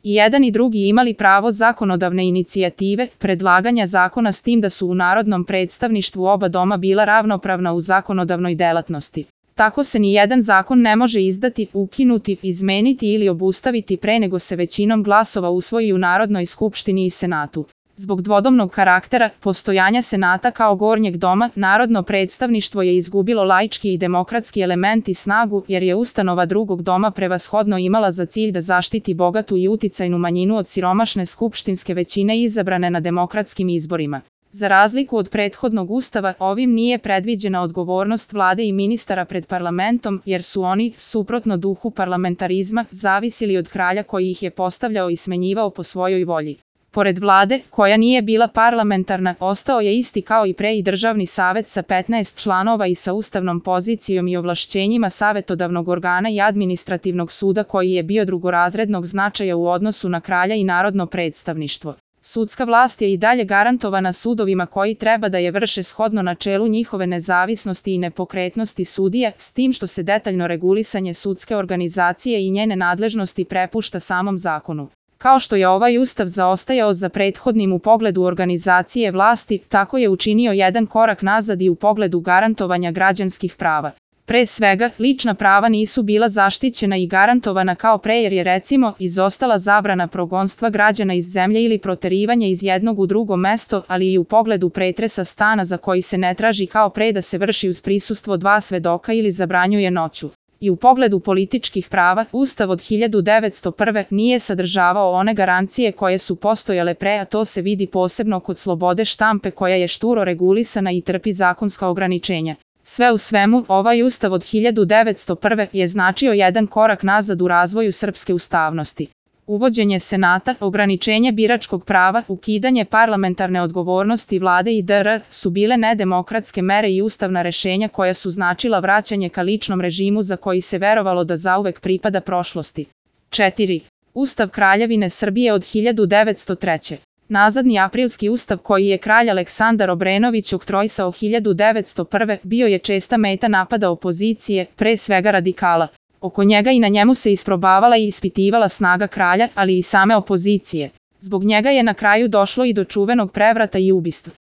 I jedan i drugi imali pravo zakonodavne inicijative, predlaganja zakona s tim da su u narodnom predstavništvu oba doma bila ravnopravna u zakonodavnoj delatnosti. Tako se ni jedan zakon ne može izdati, ukinuti, izmeniti ili obustaviti pre nego se većinom glasova usvoji u Narodnoj skupštini i Senatu. Zbog dvodomnog karaktera postojanja Senata kao gornjeg doma, narodno predstavništvo je izgubilo laički i demokratski element i snagu, jer je ustanova drugog doma prevashodno imala za cilj da zaštiti bogatu i uticajnu manjinu od siromašne skupštinske većine izabrane na demokratskim izborima. Za razliku od prethodnog ustava, ovim nije predviđena odgovornost vlade i ministara pred parlamentom, jer su oni, suprotno duhu parlamentarizma, zavisili od kralja koji ih je postavljao i smenjivao po svojoj volji. Pored vlade, koja nije bila parlamentarna, ostao je isti kao i pre i državni savet sa 15 članova i sa ustavnom pozicijom i ovlašćenjima savetodavnog organa i administrativnog suda koji je bio drugorazrednog značaja u odnosu na kralja i narodno predstavništvo. Sudska vlast je i dalje garantovana sudovima koji treba da je vrše shodno načelu njihove nezavisnosti i nepokretnosti sudija, s tim što se detaljno regulisanje sudske organizacije i njene nadležnosti prepušta samom zakonu. Kao što je ovaj ustav zaostajao za prethodnim u pogledu organizacije vlasti, tako je učinio jedan korak nazad i u pogledu garantovanja građanskih prava. Pre svega, lična prava nisu bila zaštićena i garantovana kao pre jer je recimo izostala zabrana progonstva građana iz zemlje ili proterivanja iz jednog u drugo mesto, ali i u pogledu pretresa stana za koji se ne traži kao pre da se vrši uz prisustvo dva svedoka ili zabranjuje noću. I u pogledu političkih prava, Ustav od 1901. nije sadržavao one garancije koje su postojale pre, a to se vidi posebno kod slobode štampe koja je šturo regulisana i trpi zakonska ograničenja. Sve u svemu, ovaj Ustav od 1901. je značio jedan korak nazad u razvoju srpske ustavnosti. Uvođenje Senata, ograničenje biračkog prava, ukidanje parlamentarne odgovornosti vlade i dr. su bile nedemokratske mere i ustavna rešenja koja su značila vraćanje ka ličnom režimu za koji se verovalo da zauvek pripada prošlosti. 4. Ustav Kraljevine Srbije od 1903. Nazadni aprilski ustav koji je kralj Aleksandar Obrenović oktroisao 1901. bio je česta meta napada opozicije, pre svega radikala. Oko njega i na njemu se isprobavala i ispitivala snaga kralja, ali i same opozicije. Zbog njega je na kraju došlo i do čuvenog prevrata i ubistva.